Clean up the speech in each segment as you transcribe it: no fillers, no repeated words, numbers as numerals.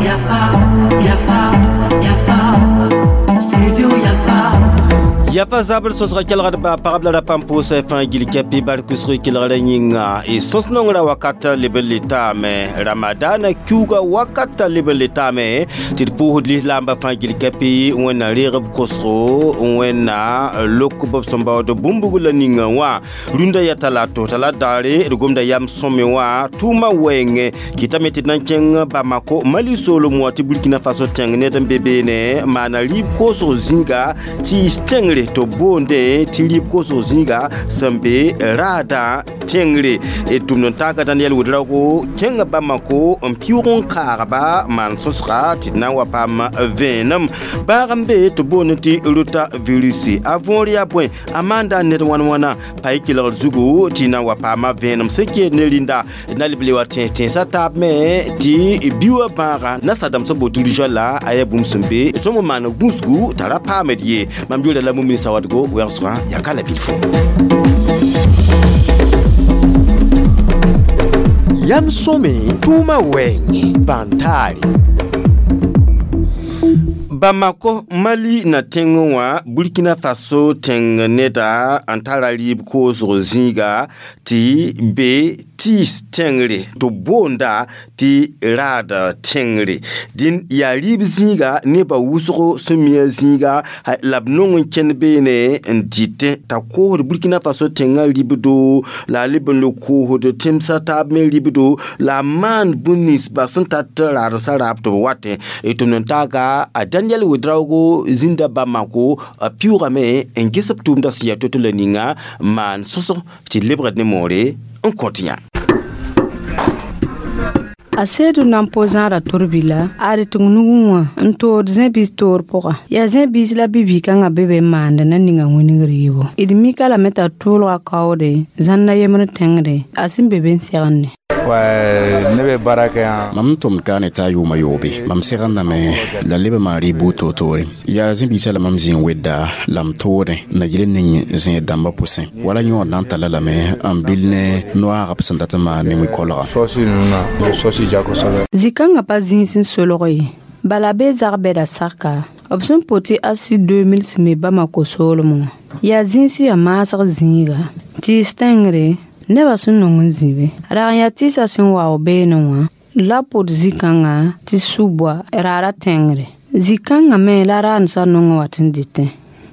Yafa, Yafa, Yafa, Studio Yafa. Yafa zabr sosga kelgd ba pagb la ra pãmb pʋʋsã fãa gil kɛpɩ bark wʋsg kelgrã yĩnga y sõs nongrã wakata leb n le taame ramadana kiuga wakata leb n le taame tɩ d pʋʋsd lislaambã fãa gil kɛpɩ wẽnna reeg b kosgo wẽnna lok b sẽn baood bũmb la ninga wã rũndã yaa talato t'a la daare d gomda yam sõme wã tʋʋmã wɛɛngẽ kɩtame tɩ d na n kẽng Bamako Mali soolem wã tɩ Burkina Faso tẽng ned n be beene maana rɩɩb koosg zĩiga tɩɩs tẽngre tɩ b boondẽ tɩ rɩɩb koosg zĩiga sẽn be raadã tẽngre d tʋmd n taaga Daniel Ouedraogo kẽnga Bamako n pɩʋg n kaagba maan sõsga tɩ d na n wa paam vẽenem bãag n be tɩ boond tɩ rotavirus a võor yaa bõe a maanda ned wãn-wãna pa y kelgr zugu tɩ na n wa paama vẽenem sẽn keed ne rĩnda d na leb le wa tẽes tẽnsã taab me tɩ bi wã bãaga nasadãmb sẽn boot rougeole a yaa bũmb sẽn be sõm n maan gũusgu t'a ra paamd ye mam yʋʋra la Mumini Sawadogo wɛgsgã yaa ka la bilfo. Yam sõme tʋʋmã wɛɛngẽ bãn-taare. Bamako Mali na tẽng wã Burkina Faso tẽng neda n tara rɩɩb koosg zĩiga tɩ be tɩɩs tẽngre tɩ boonda tɩ raad tẽngre dĩn yaa rɩɩb zĩiga nebã wʋsgo sẽn mi a zĩiga la b nong n kẽnd beene n dɩtẽ t'a koosd Burkina Faso tẽngã ribdo la a leb n le koosd tẽmsã taab me ribdo la a maan bũmb-ninsba sẽn tat raadsã raab tɩ b watẽ tʋmd n taaga a Daniel Ouedraogo zĩnda Bamako a pɩʋʋgame n ges b tʋʋmdã sẽn yaa to-to la ninga n maan sõsg tɩ lebgd ne moore n kõt yã. A seedu nan po zãada torbila a d tɩng nugẽ wã n tood zẽ-biis toor pʋga yaa zẽ-biis la bi-bɩ-kãngã be be n maanda na ninga wĩneg rɩɩbo d mika lame t'a tʋʋlga kaoode zãnna yembr tẽngre a sẽn be be n segende. Ne bɛ baara kɛ yan. Mam tʋmd kaane t'a yʋʋma yoobe mam segendame la leb n maan rɩɩb buud toor-toore yaa zẽ-biisã la mam zĩ n wedda la m toodẽ na yel ning zẽed dãmbã pʋsẽ wala yõod na n talla lame n bil ne noaag b sẽn dat n maan ne wĩ-kolga. Sɔsi ninnu na n bɛ sɔsi ja kosɛbɛ. Zĩ-kãngã pa zĩis n solg ye bala bee zag-bɛda saka b sẽn po tɩ asi 2000 sẽn me Bamako soolem wã yaa zĩis yaa maasg zĩiga tɩɩs tẽngre nebã sẽn nong n zĩ be rag n yaa tɩɩsã sẽn wao beene wã la pʋd zĩ-kãngã tɩ su-boa raara tẽngre zĩ-kãngã me la raandsã nong n wat n dɩtẽ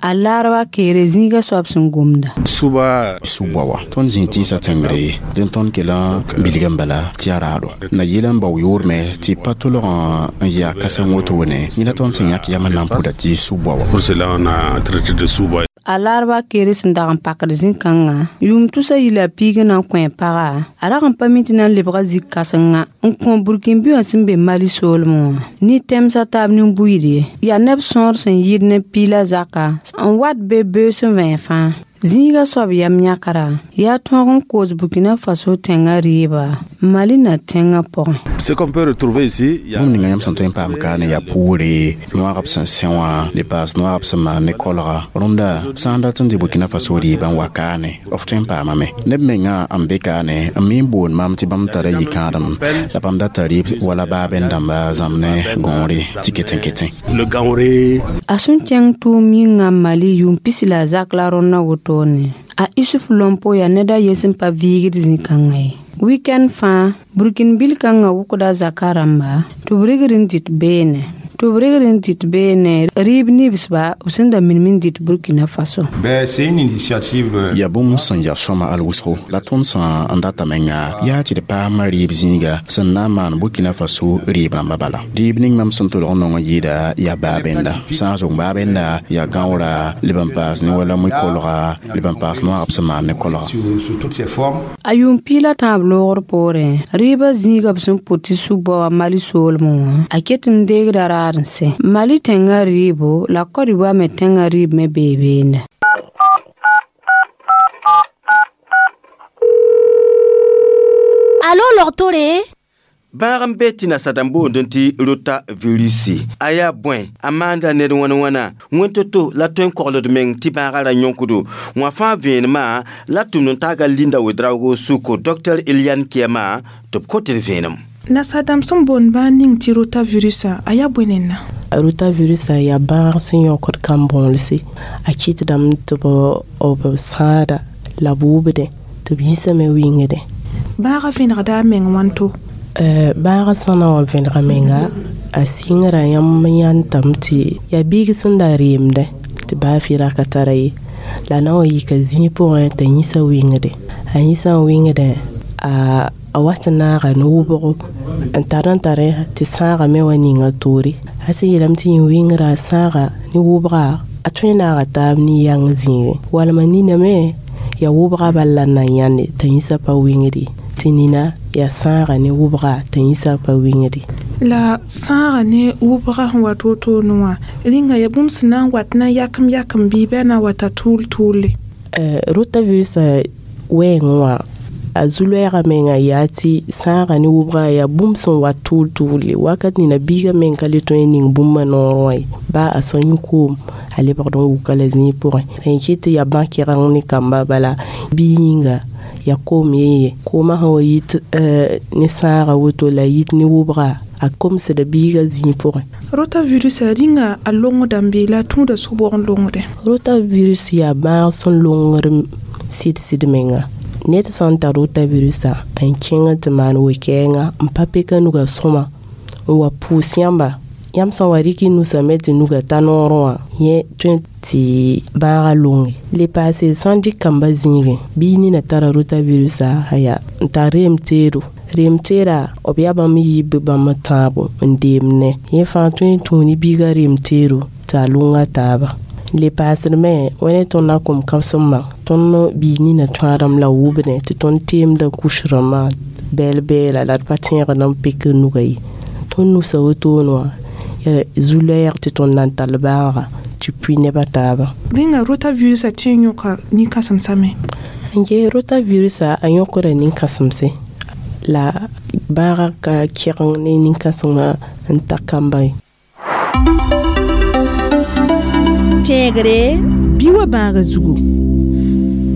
a laarba keere zĩigã soab sẽn gomda. Suba su-boa wa tõnd zĩ tɩɩsã tẽngre dẽn tõnd kell n bilg n bala tɩ yaa raado na yɩl n bao yoorme tɩ pa tolg n yaa kãseng wotone yẽ la tõnd sẽn yãk yam n na n pʋda tɩ su-boa wa. Pour cela, on a traité de sous-bois. A laarba keere sẽn dag n pakd zĩ-kãngã yʋʋm tʋsa yila piig n na n kõ paga a rag n pa mi tɩ na n lebga zĩ-kãsenga n kõ burkĩn-bi wã sẽn be Mali soolem wã ne tẽmsã taab nin-buiid ye yaa neb sõor sẽn yɩɩd ne piila zaka n wat be beoos n vẽeg fãa zĩigã soab yam yãkra yaa tõog n koos Burkina Faso tẽngã rɩɩba Mali na tẽngã pʋgẽ. Ce qu'on peut retrouver ici, il y a bũmb ninga yãmb sẽn tõe n paam kaane yaa pʋʋre noaag b sẽn sẽ wã le paas noaag b sẽn maan ne kolga rõnda sã n dat n dɩ Burkina Faso rɩɩbã n wa kaane f tõe n paamame neb mengã n be kaane n mi n boond mam tɩ bãmb tara yikãadem la bãmb data rɩɩb wala baabẽn dãmba zãmb ne gõore tɩ ketẽ-ketẽ. Le gaoré. A sẽn kẽng tʋʋm yĩngã Mali yʋʋm pis la a zak la rõndã wotone a Isuf Lompo yaa ned a yen sẽn pa viigd zĩ-kãngã ye weekend fãa burkĩn-bil kãngã wʋkda zaka rãmba tɩ b rigr n dɩt beene tɩ b rigr n dɩt beene rɩɩb nibsba b sẽn da minim n dɩt Burkina Faso. Ben, c'est une initiative. Yaa bũmb sẽn yaa sõma al wʋsgo la tõnd sã n data menga yaa tɩ d paama rɩɩb zĩiga sẽn na n maan Burkina Faso rɩɩb rãmbã bala rɩɩb ning mam sẽn tolg n nong n yɩɩda yaa baabẽnda sã n zʋg baabẽnda yaa gãoora leb n paas ne wala wĩ-kolga leb n paas noaag b sẽn maan ne kolga. Sous toutes ses formes. A yʋʋm piig la tãab loogr poorẽ rɩɩbã zĩiga b sẽn pʋt tɩ su-bao a Mali soolem wã a ket n deegda raad n sẽ Mali tẽngã rɩɩbo la Côte d'Ivoire me tẽngã rɩɩb me bee beende. Allô, Lortore? Bãag n be tɩ nasadãmb boond tɩ rotavirusi a yaa bõe a maanda ned wãn wãna wẽn to-to la tõe n kogld meng tɩ bãagã ra yõkdo wã fãa vẽenemã la tʋmd n taaga Linda Wedraogo sʋko Dr Eliane Kiama tɩ b kot d vẽenem. Nasadãmb sẽn boond bãag ning tɩ rotavirusã a yaa bõe nenda? Rotavirusã yaa bãag sẽn yõkd kãn-bõolse a kɩtdame tɩ b sãada la b wʋbdẽ tɩ b yĩsame wɩngdẽ. Bãagã vẽnegda a meng wãnto? Bãagã sã na wa vẽnega menga a sɩngra yãmb yãntame tɩ yaa biig sẽn da reemdẽ tɩ baa fɩ ra ka tara ye la na wa yika zĩig pʋgẽ t'a yĩsa wɩngdẽ a yĩsã wɩngdẽ a wat n naaga ne wʋbgo n tar n tare tɩ sãaga me wa ninga toore a sẽn yeelame tɩ yẽ wɩngrã a sãaga ne wʋbga a tõe n naaga taab ne yãng zĩigẽ walma nina me yaa wʋbga bal la n na yãnde t'a yĩsã pa wɩngde tɩ nina yaa sãaga ne wʋbga t'a yĩsã pa wɩngde. La sãaga ne wʋbga sẽn wat wotone wã rĩnga yaa bũmb sẽn na n wat na yakem yakem bɩ bɩ a na wata tʋʋl tʋʋle? Rotavirusã wɛɛngẽ wã a zu-loɛɛgã menga yaa tɩ sãaga ne wʋbga yaa bũmb sẽn wat tʋʋl tʋʋle wakat nina biigã meng ka le tõe n ning bũmbã noorẽ wã ye baa a sẽn yũ koom a lebgd n wuka la zĩig pʋgẽ rẽ kɩt tɩ yaa bã-kɛgeng ne kamba bala bi yĩnga yaa koom yen ye koomã sẽn wa yit ne sãaga woto la yit ne wʋbga a komsda biigã zĩig pʋgẽ. Rotavirusã rĩnga a longdame bɩ la a tũuda sʋbg n longdẽ? Rotavirus yaa bãag sẽn longd sɩd-sɩd menga ned sã n tar rotavirusã n kẽng tɩ maan we-kɛɛngã n pa peka nuga sõma n wa pʋʋs yãmba yãmb sã n wa rɩk y nusame tɩ nuga ta noorẽ wã yẽ tõe tɩ bãagã longe le paase sã n dɩk kamba zĩigẽ bɩ nina tara rotavirusã aya n tar reem teedo reem teeda b yaa bãmb yib bãmb tãabo n deemdẽ yẽ fãa tõe n tũu ne biigã reem teedo tɩ a longa taaba le paasd me wa ne tõnd na kom kãbsem tõnd biig nina tõadame la wʋbdẽ tɩ tõnd teemdã kus rãmbã bɛɛl bɛɛla la d pa tẽegd n pek nuga ye tõnd nusa wotone wã yaa zu-loɛɛg tɩ tõnd na n tall bãaga tɩ pʋɩ nebã taaba. Rĩnga rotavirusã tõe n yõka nin-kãsemsã me? N gee rotavirusã a yõkda nin-kãsemse la bãagã ka kɛgeng ne nin-kãsengã n ta kamba ye. Tẽegre bɩ wa bãaga zugu.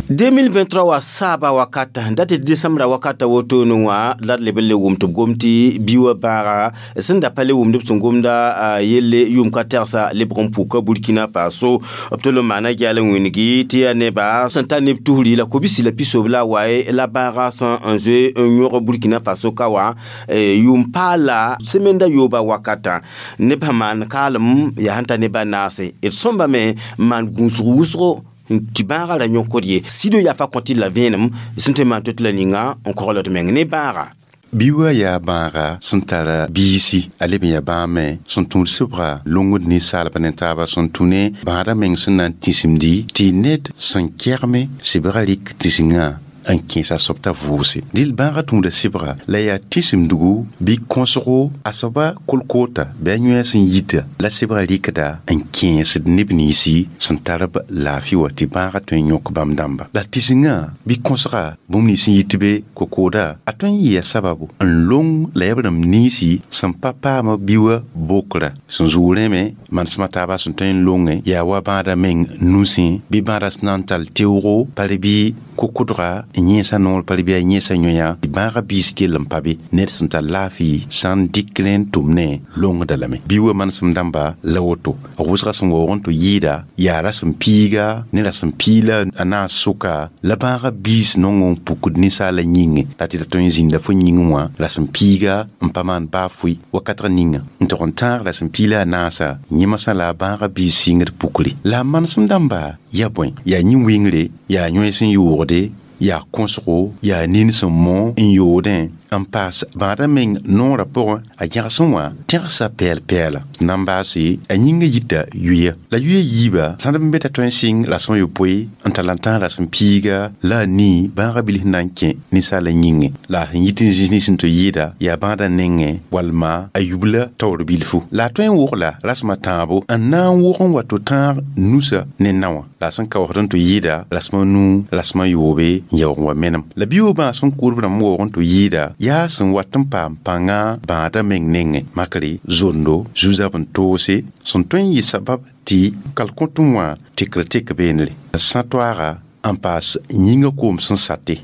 2023 wa saaba wakata date december wakata wotone wã la d leb n le wʋm tɩ b gom tɩ bi wa bãaga sẽn da pa le wʋmd b sẽn gomda yelle yʋʋm ka tɛgsa lebg n puka Burkina Faso b tol n maana gɛɛl n wĩngi tɩ yaa neba sẽn ta neb tusri la kobisi la pisob la waye la bãaga sẽn n zoe n yõg Burkina Faso ka wã yʋʋm paala semaine yooba wakatã neb sẽn maan kaalem yaa sẽn ta neba naase d sõmbame n maan gũusg wʋsgo tɩ bãagã ra yõkd ye sido yaa fa kõ tɩ la vẽenem sẽn tõe n maan to tɩ la ninga n kogld meng ne bãaga. Bi wa yaa bãaga sẽn tara biisi a leb n yaa bãag me sẽn tũud sɩbga longd ninsaalba ne taaba sẽn tũ ne bãadã meng sẽn na n tĩsimdi tɩ ned sẽn kɛgme sɩbgã rɩk tĩsingã n kẽesa soab t'a vʋʋse dɩl bãagã tũuda sɩbga la yaa tĩsimdgu bɩ kõsgo a soaba kolkoota bɩ a yõe sẽn yita la sɩbgã rɩkda n kẽesd neb ninsi sẽn tar b laafɩ wã tɩ bãagã tõe n yõk bãmb dãmba la tĩsingã bɩ kõsga bũmb nins sẽn yit be kokooda a tõe n yɩa sababu n long la yaa b rãmb ninsi sẽn pa paam bi wã bokra sẽn zʋʋg rẽme manesmã taaba sẽn tõe n longe yaa wa bãadã meng nusẽ bɩ bãadã sẽn na n tall teoogo pare bɩ kokʋdga n yẽesa noor pare bɩ a yẽesa yõya tɩ bãagã biis kell n pa be ned sẽn tar laafɩ sã n dɩk rẽ n tʋm ne longda lame bi wa manesem dãmba la woto a wʋsga sẽn waoog n tɩ yɩɩda yaa rasem piiga ne rasem piila a naas sʋka la bãagã biis nong n pukd ninsaala yĩnge la tɩ ta tõe n zĩnda fo yĩngẽ wã rasem piiga n pa maan baa fʋɩ wakatg ninga n tog n tãag rasem piila a naasa yẽmsã la a bãagã biis sɩngd pukre la a manesem dãmba yaa bõe yaa yĩn-wɩngre yaa yõe sẽn yoogde yaa kõsgo yaa nin sẽn mõ n yoodẽ n paas bãadã meng noorã pʋgẽ a gẽgsẽ wã tẽgsa pɛɛl-pɛɛla na n baase a yĩngã yita yuya la yuya yiiba sãd n be t'a tõe n sɩng rasem a yopoe n tall n tãag rasem piiga la a nii bãagã bilf na n kẽ ninsaala yĩngẽ la a sẽn yit n zĩis nins sẽn tɩ yɩɩda yaa bãadã nengẽ walma a yubla taoor bilfu la a tõe n wogla rasem a tãabo n na n wog n wa tɩ tãag nusa ne naowã la a sẽn kaoosd n tɩ yɩɩda rasem a nuu rasem a yoobe n yaoog n wa menem la bi-wã bãag sẽn kʋʋdb rãmb waoog n tɩ yɩɩda yaa sẽn wat n paam pãnga bãadã meng nengẽ makre zondo zu-zab n toose sẽn tõe n yɩ sabab tɩ kalkõtẽ wã tekr tek beenre sã toaaga n paas yĩngã koom sẽn sate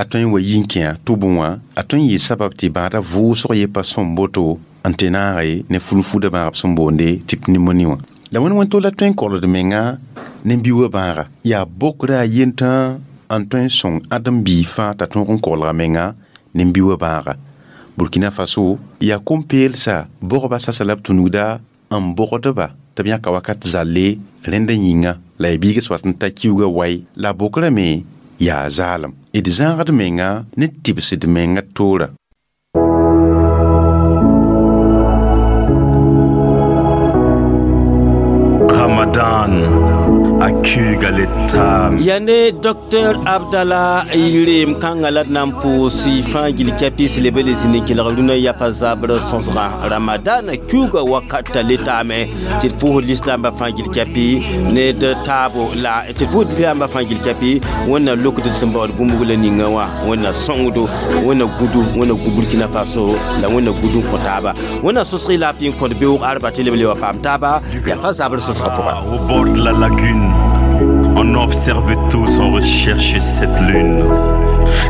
a tõe n wa yi n kẽ tʋbẽ wã a tõe n yɩ sabab tɩ bãadã vʋʋsg ye pa sõm boto n tɩ naage ne fulfuda bãagb sẽn boonde tɩ pneumoni wã la wẽnd wẽn tol la tõe n kolgd menga ne bi-wã bãaga yaa bokra a yentã n tõe n sõng ãdem-biig fãa t'a tõog n kolga menga ne bi-wã bãaga Burkina Faso yaa kom-peelsa bogba sasa la b tũnugda n bogdba tɩ b yãka wakat zalle rẽndã yĩnga la y biigs wat n ta kiuugã wai la bokrame me yaa zaalem d zãagd menga ne tɩbsd menga toora. Ramadan Yane Dr Abdallah Yirem kãngã la d na n pʋʋs fãa gil kɛpɩs leb le zĩnd n kelg rũnã yafa zabr sõsgã Ramadan kiuugã wakata le taame tɩ d pʋʋsd lislaambã fãa gil kɛpɩ ne d taabo la tɩ d pʋʋsd lislaambã fãa gil kɛpɩ Wẽnna lokd d sẽn baood bũmb la ninga wã Wẽnna sõngdo Wẽnna gũdu Wẽnna gu Burkina Faso la Wẽnna gũd n kõ taaba Wẽnna sõsg y laafɩ n kõt beoog arba tɩ leb le wa paam taaba yafa zabr sõsgã pʋga. Au bord de la lagune, on observait tous, on recherchait cette lune.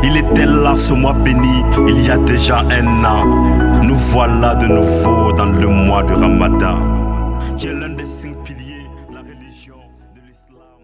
Il était là ce mois béni, il y a déjà un an. Nous voilà de nouveau dans le mois de Ramadan, qui est l'un des 5 piliers, la religion de l'islam.